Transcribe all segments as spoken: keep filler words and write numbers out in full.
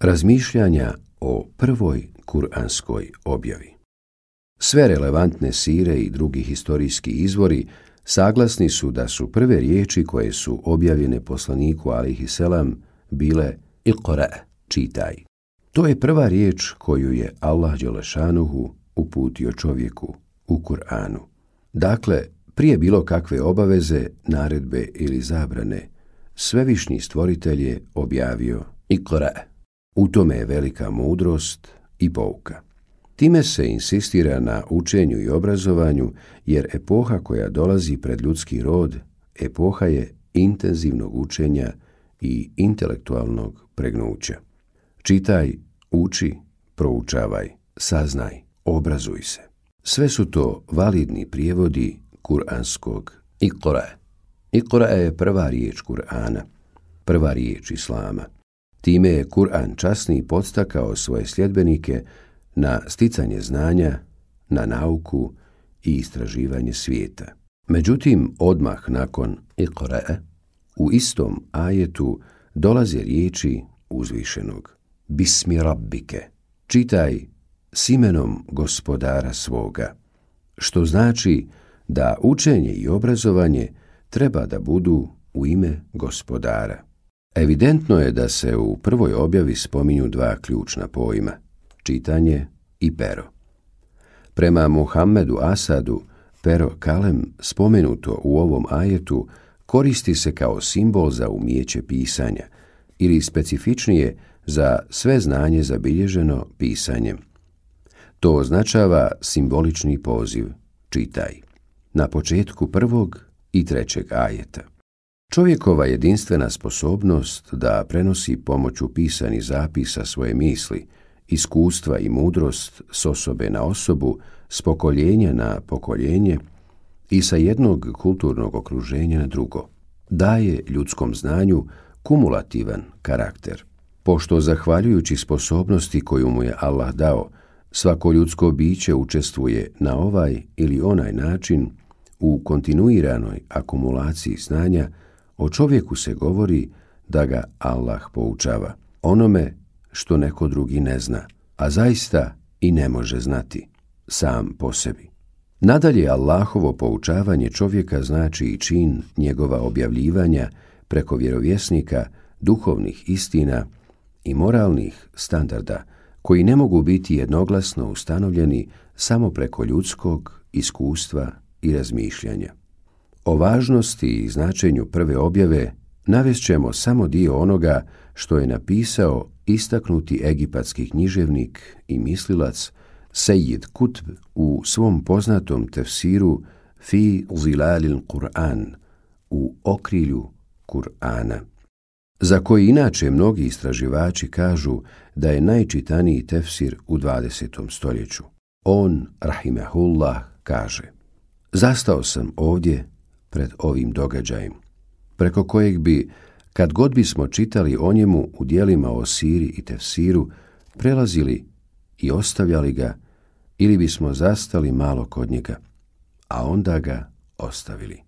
Razmišljanja o prvoj kuranskoj objavi. Sve relevantne sire i drugi historijski izvori saglasni su da su prve riječi koje su objavljene poslaniku alejhi selam bile Iqra, čitaj. To je prva riječ koju je Allah dželešanuhu uputio čovjeku u Kur'anu. Dakle, prije bilo kakve obaveze, naredbe ili zabrane, svevišnji stvoritelj je objavio Iqra. U tome je velika mudrost i pouka. Time se insistira na učenju i obrazovanju, jer epoha koja dolazi pred ljudski rod, epoha je intenzivnog učenja i intelektualnog pregnuća. Čitaj, uči, proučavaj, saznaj, obrazuj se. Sve su to validni prijevodi kuranskog Iqra. Iqra je prva riječ Kur'ana, prva riječ Islama. Time je Kur'an časni podstakao svoje sljedbenike na sticanje znanja, na nauku i istraživanje svijeta. Međutim, odmah nakon Iqra, u istom ajetu dolaze riječi uzvišenog. Bismi rabbike, čitaj s imenom gospodara svoga, što znači da učenje i obrazovanje treba da budu u ime gospodara. Evidentno je da se u prvoj objavi spominju dva ključna pojma, čitanje i pero. Prema Muhammedu Asadu, pero kalem spomenuto u ovom ajetu koristi se kao simbol za umijeće pisanja ili specifičnije za sve znanje zabilježeno pisanjem. To označava simbolični poziv, čitaj, na početku prvog i trećeg ajeta. Čovjekova jedinstvena sposobnost da prenosi pomoću pisanih zapisa svoje misli, iskustva i mudrost s osobe na osobu, s pokoljenja na pokoljenje i sa jednog kulturnog okruženja na drugo, daje ljudskom znanju kumulativan karakter. Pošto zahvaljujući sposobnosti koju mu je Allah dao, svako ljudsko biće učestvuje na ovaj ili onaj način u kontinuiranoj akumulaciji znanja, o čovjeku se govori da ga Allah poučava onome što neko drugi ne zna, a zaista i ne može znati sam po sebi. Nadalje, Allahovo poučavanje čovjeka znači i čin njegova objavljivanja preko vjerovjesnika, duhovnih istina i moralnih standarda koji ne mogu biti jednoglasno ustanovljeni samo preko ljudskog iskustva i razmišljanja. O važnosti i značenju prve objave navest ćemo samo dio onoga što je napisao istaknuti egipatski književnik i mislilac Sejid Kutb u svom poznatom tefsiru Fi zilalil Kur'an, u okrilju Kur'ana, za koji inače mnogi istraživači kažu da je najčitaniji tefsir u dvadesetom stoljeću. On, rahimehullah, kaže: Zastao sam ovdje pred ovim događajem, preko kojeg bi, kad god bismo čitali o njemu u dijelima o siri i tefsiru, prelazili i ostavljali ga, ili bismo zastali malo kod njega, a onda ga ostavili.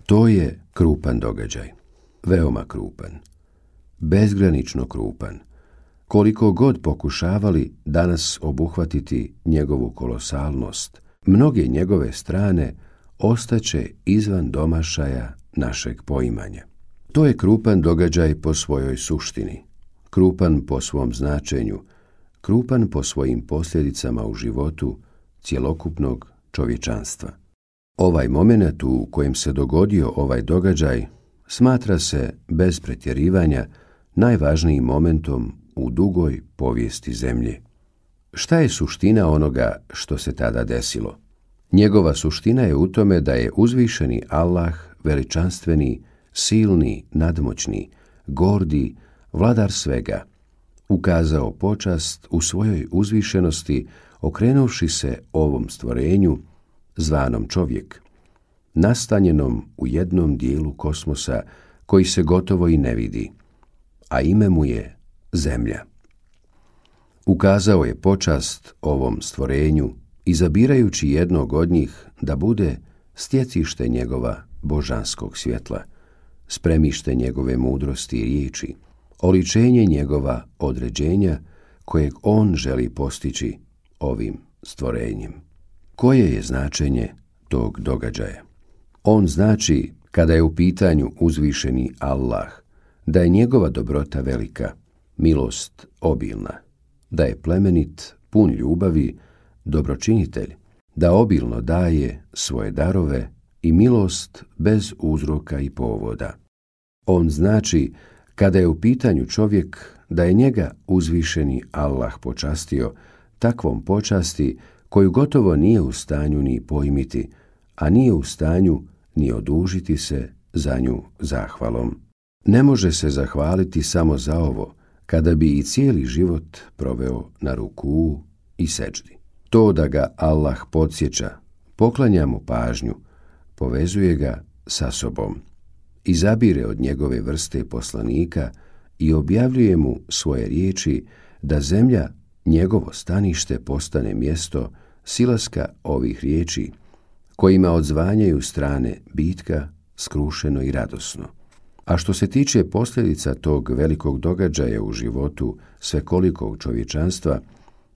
To je krupan događaj, veoma krupan, bezgranično krupan. Koliko god pokušavali danas obuhvatiti njegovu kolosalnost, mnoge njegove strane ostaće izvan domašaja našeg poimanja. To je krupan događaj po svojoj suštini, krupan po svom značenju, krupan po svojim posljedicama u životu cjelokupnog čovječanstva. Ovaj moment u kojem se dogodio ovaj događaj smatra se, bez pretjerivanja, najvažnijim momentom u dugoj povijesti zemlje. Šta je suština onoga što se tada desilo? Njegova suština je u tome da je uzvišeni Allah, veličanstveni, silni, nadmoćni, gordi, vladar svega, ukazao počast u svojoj uzvišenosti okrenuvši se ovom stvorenju, zvanom čovjek, nastanjenom u jednom dijelu kosmosa koji se gotovo i ne vidi, a ime mu je Zemlja. Ukazao je počast ovom stvorenju, izabirajući jednog od njih da bude stjecište njegova božanskog svjetla, spremište njegove mudrosti i riječi, oličenje njegova određenja kojeg on želi postići ovim stvorenjem. Koje je značenje tog događaja? On znači, kada je u pitanju uzvišeni Allah, da je njegova dobrota velika, milost obilna, da je plemenit, pun ljubavi, dobročinitelj, da obilno daje svoje darove i milost bez uzroka i povoda. On znači, kada je u pitanju čovjek, da je njega uzvišeni Allah počastio takvom počasti koju gotovo nije u stanju ni pojmiti, a nije u stanju ni odužiti se za nju zahvalom. Ne može se zahvaliti samo za ovo, kada bi i cijeli život proveo na rukuu i seđdi. To da ga Allah podsjeća, poklanja mu pažnju, povezuje ga sa sobom, izabire od njegove vrste poslanika i objavljuje mu svoje riječi da zemlja, njegovo stanište, postane mjesto silaska ovih riječi, kojima odzvanjaju strane bitka skrušeno i radosno. A što se tiče posljedica tog velikog događaja u životu svekolikog čovječanstva,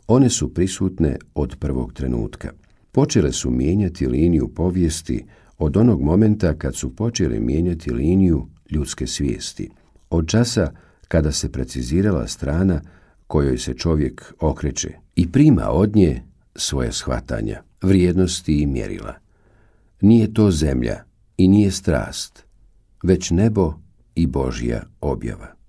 one su prisutne od prvog trenutka. Počele su mijenjati liniju povijesti od onog momenta kad su počele mijenjati liniju ljudske svijesti, od časa kada se precizirala strana kojoj se čovjek okreće i prima od nje svoje shvatanja, vrijednosti i mjerila. Nije to zemlja i nije strast, već nebo i Božja objava.